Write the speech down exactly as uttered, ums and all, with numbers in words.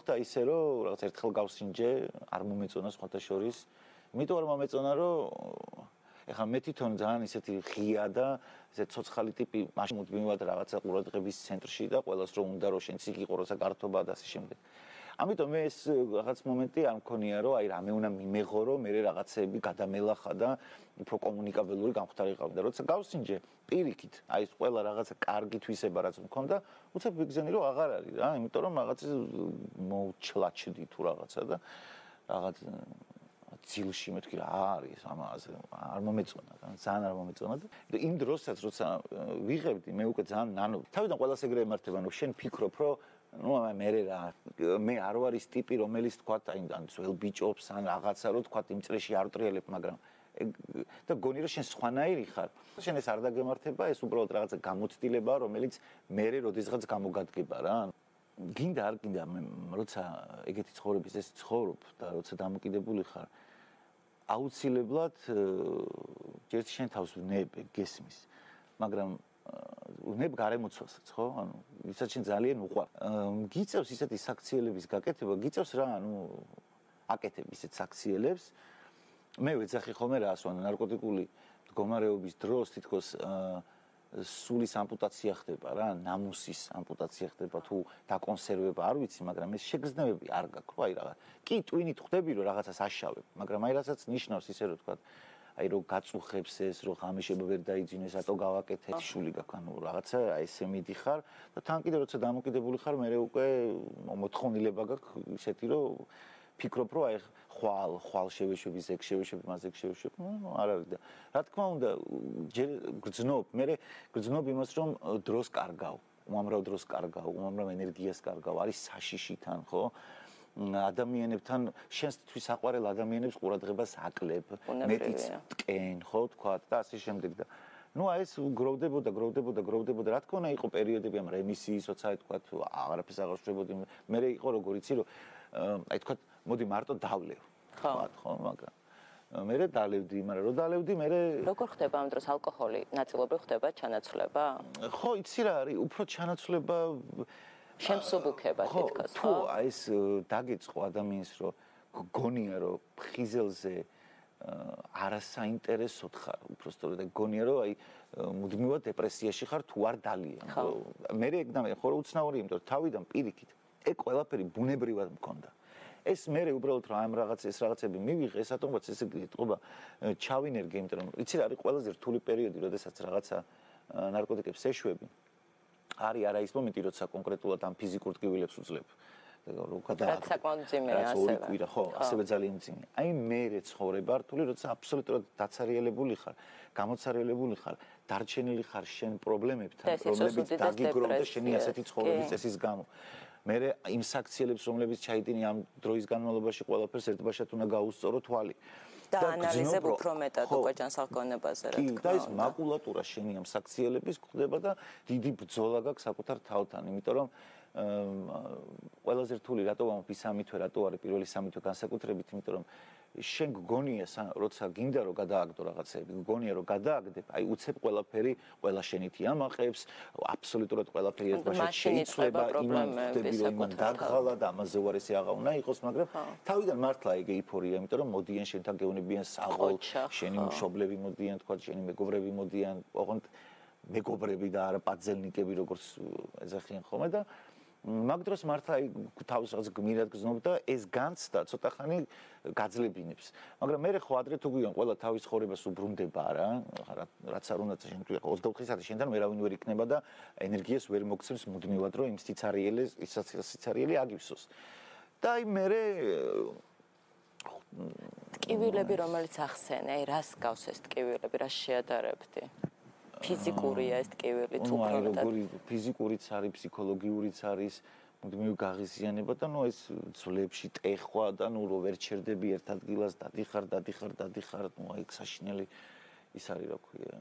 და ისე რომ რაღაც ერთხელ გავსინჯე, არ მომეწონა სხვათა შორის. იმიტომ არ მომეწონა, რომ ეხლა მე თვითონ ძალიან ისეთი ღია და ესე ცოცხალი ტიპი მაშინ მუდმივად რაღაცა ყურადღების ცენტრში და ყველას რომ უნდა რომ შენც იქ იყო როცა გართობა და ასე შემდეგ. ამიტომ მე ეს რაღაც მომენტი არ მქონია რომ აი რამე უნდა მიმეღო რომ მე რაღაცეები გადამელახა და უფრო კომუნიკაბელური გამختარი ყავდა. როცა გავსინჯე პირიქით, აი ეს ყველა რაღაცა კარგი თვისება რაც მქონდა, უცებ ვიგზენი რომ აღარ არის რა, იმიტომ რომ რაღაც მოუჩლაჩდი თუ რაღაცა და რაღაც ძილში მეთქი რა არის ამაზე არ მომეწონა ძალიან არ მომეწონა და იმ დროსაც როცა ვიღებდი მე უკვე ძალიან ნანო თავიდან ყველას ეგრე ემართება რომ შენ ფიქრობ რომ ну მე რა მე არ ვარის ტიპი რომელიც თქვა აი ან ძველ ბიჭობს ან რაღაცა რომ თქვა იმ წრეში არ ვტრიალებ მაგრამ და გონი რომ შენ სხვანაირი ხარ შენ ეს არ დაგემართება ეს უბრალოდ რაღაცა გამოცდილებაა რომელიც მე როდესღაც გამოგადგება რა გინდა არ გინდა მე როცა ეგეთი ცხოვრების ეს ცხოვრობ და როცა დამოკიდებული ხარ აუცილებლად ჯერ შენ თავს ვნებ გესმის მაგრამ ვნებ გარემოცვასაც ხო ანუ ისაც შენ ძალიან უყვარ გიწევს ისეთი საქციელების გაკეთება გიწევს რა ანუ აკეთებ ისეთ საქციელებს მე ვეძახი ხოლმე რას ვან ნარკოტიკული მდგომარეობის დროს თითქოს სულის ამპუტაცია ხდება რა, ნამუსის ამპუტაცია ხდება თუ დაკონსერვება არ ვიცი, მაგრამ ეს შეგრძნებები არ გაქვს, აი რაღაც. კი, ტვინით ხვდები რომ რაღაცას აშავებ, მაგრამ აი რასაც ნიშნავს ისე რომ თქვა, აი რომ გაწუხებს ეს, რომ ღამიშება ვერ დაიძინეს, ატო გავაკეთე, შული გაქვს, ანუ რაღაცა აი ესე მიდიხარ და თან კიდე როცა დამოკიდებული ხარ, მე უკვე მოთხოვნილება გაქვს ისეთი რომ ფიქრობ რომ აი ხვალ ხვალ შევეშვები ზეგ შევეშვები მასეგ შევეშვები ნუ არ არის და რა თქმა უნდა ჯერ გრძნობ მე გრძნობ იმას რომ დროს კარგავ უამრავ დროს კარგავ უამრავ ენერგიას კარგავ არის საშიში თან ხო ადამიანებთან შენს თვითონ საყვარელ ადამიანებს ყურადღებას აკლებ მეტიც ტკენ ხო თქვა და ასე შემდეგ და ну а ეს გროვდებოდა გროვდებოდა გროვდებოდა რა თქმა უნდა იყო პერიოდები ამ რემისიის როცა თქვა აღარაფერს აღარ შევებოდი მე იყო როგორ იცი რომ აი თქვა მოდი მარტო დავლევ ხო ხო მაგრამ მე დალევდი მაგრამ რო დალევდი მე როგორ ხდება ამ დროს ალკოჰოლი ნაწილობრივ ხდება ჩანაცვლება ხო იცი რა არის უფრო ჩანაცვლება შემსუბუქება თითქოს ხო აი ეს დაგეწყო ადამიანს რომ გონია რომ ფხიზელზე არასაინტერესოდ ხარ უბრალოდ გონია რომ აი მუდმივად დეპრესიაში ხარ თუ არ დალიან მე ეგ და მე ხო უცნაური იმიტომ თავიდან პირიქით ეგ ყველაფერი ბუნებრივად მქონდა ეს მე უბრალოდ რა ამ რაღაც ეს რაღაცები მივიღე ეს ატომაც ესე ეთყობა ჩავინერგე იმიტომ რომ იცი რა არის ყველაზე რთული პერიოდი როდესაც რაღაცა ნარკოტიკებს ეშვები არის არა ის მომენტი როცა კონკრეტულად ამ ფიზიკურ ტკივილებს უძლებ რო გადააკეთე ორი კვირა ხო ასევე ძალიან ძიმე აი მე ცხოვრება რთული როცა აბსოლუტურად დაცარიელებული ხარ გამოცარიელებული ხარ დარჩენილი ხარ შენ პრობლემებთან რომლებიც დაგიგროვ და შენი ასეთი ცხოვრების წესის გამო მე იმ საქციელებს რომლებიც ჩაიდინე ამ დროის განმავლობაში ყველაფერს ერთბაშად უნდა გაუსწორო თვალი და ანალიზებ უფრო მეტად უკვე ჯანსაღონებაზე რა თქმა უნდა და ეს მაკულატურა შენი ამ საქციელების ხდება და დიდი ბრძოლა გაქვს საკუთარ თავთან იმიტომ რომ ყველაზე რთული რატო ვამბობ ის სამი თვე რატო არის პირველი სამი თვე განსაკუთრებით იმიტომ რომ შენ გგონია როცა გინდა რომ გადააგდო რაღაცები გგონია რომ გადააგდებ აი უცებ ყველაფერი ყველა შენითი ამაყებს აბსოლუტურად ყველაფერი ერთბაშად შეიცვლება იმან ხდები რომ იმან დაგღალა და ამაზე უარესი აღარ უნდა იყოს მაგრამ თავიდან მართლა ეგ ეიფორია იმიტომ რომ მოდიან შენთან გეუნებიან საღოლ შენი მშობლები მოდიან თქვა შენი მეგობრები მოდიან ოღონდ მეგობრები და არა პაძელნიკები როგორც ეძახიან ხოლმე და მაგ დროს მართლა თავს რაღაც გმირად გზნობ და ეს განცდა ცოტა ხანი გაძლებინებს მაგრამ მე ხო ადრე თუ გვიან ყველა თავის ხორებას უბრუნდება რა რაც არ უნდა შენ თუ ოცდაოთხი საათი შენთან ვერავინ ვერ იქნება და ენერგიას ვერ მოგცემს მუდმივად რომ იმ სიცარიელეს ის სიცარიელი აგივსოს და აი მე ტკივილები რომელიც ახსენე აი რას გავს ეს ტკივილები რას შეადარებდი ფიზიკურია ეს ტკივილი თუ უფრო როგორი ფიზიკურიც არის ფსიქოლოგიურიც არის მუდმივი გაღიზიანება და ნუ ეს ძვლებში ტეხვა და ნუ რო ვერ ჩერდები ერთ ადგილას დადიხარ დადიხარ დადიხარ ნუ აი საშინელი ის არის რა ქვია